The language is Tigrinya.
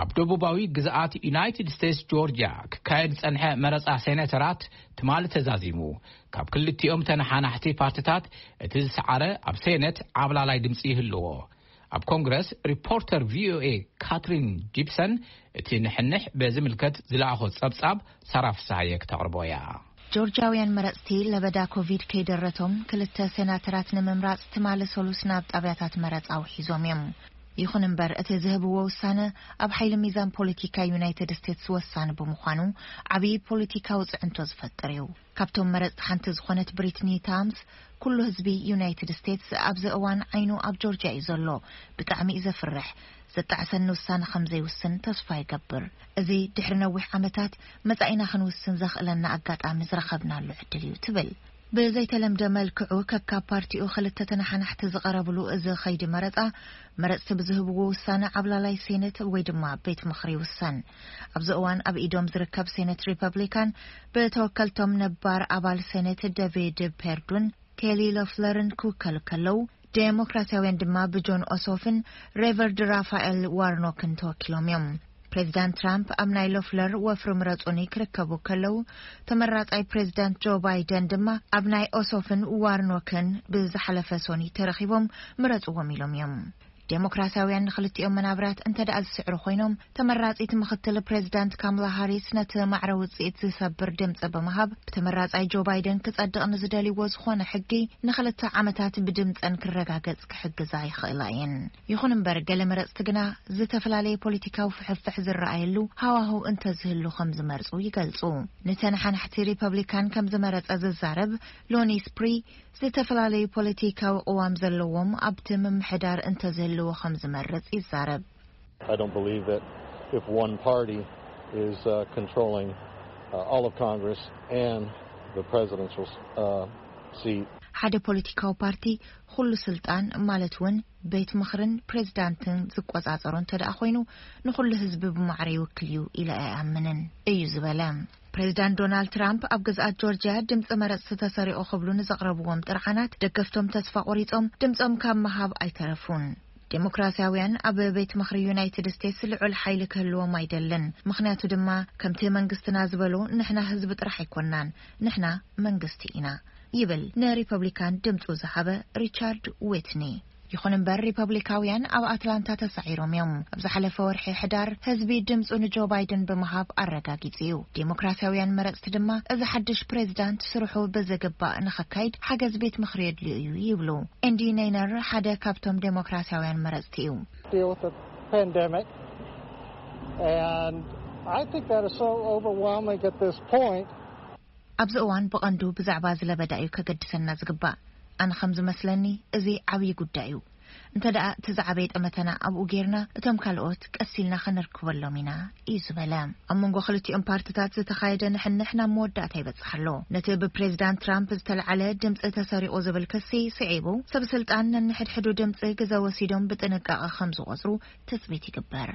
ኣብ ደቡባዊ ግዝኣት ዩናይትድ ስቴትስ ጆርጅያ ክካየድ ዝጸንሐ መረጻ ሴኔተራት ትማሊ ተዛዚሙ። ካብ ክልቲኦም ተነሓናሕቲ ፓርቲታት እቲ ዝሰዓረ ኣብ ሴኔት ዓብላላይ ድምጺ ይህልዎ። ኣብ ኮንግረስ ሪፖርተር ቪኦኤ ካትሪን ጂፕሰን እቲ ንሕንሕ በዝምልከት ዝለኣኾ ጸብጻብ ሳራ ፍስሃየ ክተቕርቦ እያ። ጆርጂያውያን መረጽቲ ለበዳ ኮቪድ ከይደረቶም ክልተ ሴናተራት ንምምራጽ ትማሊ ሰሉስ ናብ ጣብያታት መረጻ ውሒዞም እዮም። ይኹን እምበር እቲ ዝህብዎ ውሳነ ኣብ ሓይሊ ሚዛን ፖለቲካ ዩናይትድ ስቴትስ ወሳኒ ብምዃኑ ዓብዪ ፖለቲካዊ ጽዕንቶ ዝፈጥር እዩ። ካብቶም መረጽቲ ሓንቲ ዝኾነት ብሪትኒ ታምስ፣ ኩሉ ህዝቢ ዩናይትድ ስቴትስ ኣብዚ እዋን ዓይኑ ኣብ ጆርጅያ እዩ ዘሎ። ብጣዕሚ እዩ ዘፍርሕ። ዘጣዕሰኒ ውሳነ ከም ዘይውስን ተስፋ ይገብር። እዚ ድሕሪ ነዊሕ ዓመታት መጻኢና ክንውስን ዘኽእለና ኣጋጣሚ ዝረኸብናሉ ዕድል እዩ ትብል። ብዘይተለምደ መልክዑ ከካብ ፓርቲኡ ክልተ ተነሓናሕቲ ዝቐረብሉ እዚ ኸይዲ መረጻ፣ መረጽቲ ብዝህብዎ ውሳነ ዓብላላይ ሴኔት ወይ ድማ ቤት ምኽሪ ይውሰን። ኣብዚ እዋን ኣብ ኢዶም ዝርከብ ሴኔት ሪፐብሊካን ብተወከልቶም ነባር ኣባል ሴኔት ዴቪድ ፔርዱን ኬሊ ሎፍለርን ክውከሉ ከለዉ፣ ዴሞክራሲያውያን ድማ ብጆን ኦሶፍን ሬቨርድ ራፋኤል ዋርኖክን ተወኪሎም እዮም። ፕሬዚዳንት ትራምፕ ኣብ ናይ ሎፍለር ወፍሪ ምረጹኒ ክርከቡ ከለዉ፣ ተመራጻይ ፕሬዚዳንት ጆ ባይደን ድማ ኣብ ናይ ኦሶፍን ዋርኖክን ብዝሓለፈ ሶኒ ተረኺቦም ምረጽዎም ኢሎም እዮም። ዴሞክራሲያውያን ንክልቲኦም መናብራት እንተ ደኣ ዝስዕሩ ኮይኖም፣ ተመራጺት ምኽትል ፕሬዚዳንት ካምላ ሃሪስ ነቲ ማዕረ ውጽኢት ዝሰብር ድምጺ ብምሃብ፣ ብተመራጻይ ጆ ባይደን ክጸድቕ ንዝደልይዎ ዝኾነ ሕጊ ንኽልተ ዓመታት ብድምጸን ክረጋገጽ ክሕግዛ ይኽእላ እየን። ይኹን እምበር፣ ገለ መረጽቲ ግና ዝተፈላለየ ፖለቲካዊ ፍሕፍሕ ዝረኣየሉ ሃዋህው እንተዝህሉ ከም ዝመርጹ ይገልጹ። ንተነሓናሕቲ ሪፐብሊካን ከም ዝመረጸ ዝዛረብ ሎኒ ስፕሪ፣ ዝተፈላለዩ ፖለቲካዊ ቅዋም ዘለዎም ኣብቲ ምምሕዳር እንተዝህልዎ ከም ዝመርጽ ይዛረብ። I don't believe that if one party is uh, controlling uh, all of Congress and the presidential uh, seat. ሓደ ፖለቲካዊ ፓርቲ ኩሉ ስልጣን፣ ማለት እውን ቤት ምኽርን ፕሬዚዳንትን ዝቆጻጸሮ እንተ ደኣ ኮይኑ፣ ንኹሉ ህዝቢ ብማዕረ ይውክል እዩ ኢለ ኣይኣምንን እዩ ዝበለ። ፕሬዚዳንት ዶናልድ ትራምፕ ኣብ ግዝኣት ጆርጅያ ድምፂ መረፅቲ ተሰሪቑ ክብሉ ንዘቕረብዎም ጥርዓናት ደገፍቶም ተስፋ ቆሪጾም ድምፆም ካብ ምሃብ ኣይተረፉን። ዴሞክራሲያውያን ኣብ ቤት ምኽሪ ዩናይትድ ስቴትስ ልዑል ሓይሊ ክህልዎም ኣይደልን፣ ምኽንያቱ ድማ ከምቲ መንግስትና ዝበሎ ንሕና ህዝቢ ጥራሕ ኣይኮናን፣ ንሕና መንግስቲ ኢና ይብል ንሪፐብሊካን ድምፁ ዝሃበ ሪቻርድ ዊትኒ። ይኹን እምበር ሪፐብሊካውያን ኣብ ኣትላንታ ተሳዒሮም እዮም። ኣብ ዝሓለፈ ወርሒ ሕዳር ህዝቢ ድምፁ ንጆ ባይደን ብምሃብ ኣረጋጊጹ እዩ። ዴሞክራሲያውያን መረፅቲ ድማ እዚ ሓድሽ ፕሬዚዳንት ስርሑ ብዝግባእ ንኸካይድ ሓገዝ ቤት ምኽሪ የድልዮ እዩ ይብሉ። ኤንዲ ኔይነር ሓደ ካብቶም ዴሞክራሲያውያን መረፅቲ እዩ። Deal with the pandemic and I think that is so overwhelming at this point. ኣብዚ እዋን ብቐንዱ ብዛዕባ ዝለበዳ እዩ ከገድሰና ዝግባእ። ኣነ ከም ዝመስለኒ እዚ ዓብዪ ጉዳይ እዩ። እንተ ደኣ እቲ ዝዓበየ ጠመተና ኣብኡ ጌርና፣ እቶም ካልኦት ቀስ ኢልና ከነርክበሎም ኢና እዩ ዝበለ። ኣብ መንጎ ክልቲኦም ፓርትታት ዝተኻየደ ንሕንሕ ናብ መወዳእታ ይበጽሕ ኣሎ። ነቲ ብፕሬዚዳንት ትራምፕ ዝተለዓለ ድምፂ ተሰሪቑ ዝብል ክሲ ስዒቡ፣ ሰብ ስልጣን ነንሕድሕዱ ድምፂ ግዘ ወሲዶም ብጥንቃቐ ከም ዝቖጽሩ ትፅቢት ይግበር።